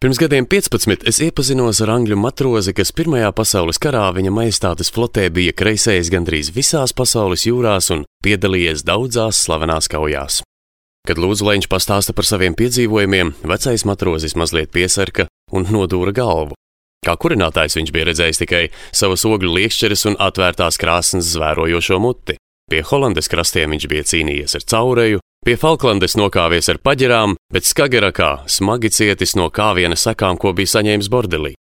Pirms gadiem 15 es iepazinos ar angļu matrozi, kas Pirmajā pasaules karā viņa majestātes flotē bija kreisējis gandrīz visās pasaules jūrās un piedalījies daudzās slavenās kaujās. Kad lūdzu, lai viņš pastāsta par saviem piedzīvojumiem, vecais matrozis mazliet piesarka un nodūra galvu. Kā kurinātājs viņš bija redzējis tikai savas ogļu liekšķeres un atvērtās krāsnes zvērojošo muti. Pie Holandes krastiem viņš bija cīnījies ar caureju, pie Falklandes nokāvies ar paģerām, bet Skagerakā smagi cietis no kāviena sekām, ko bija saņēmis bordelī.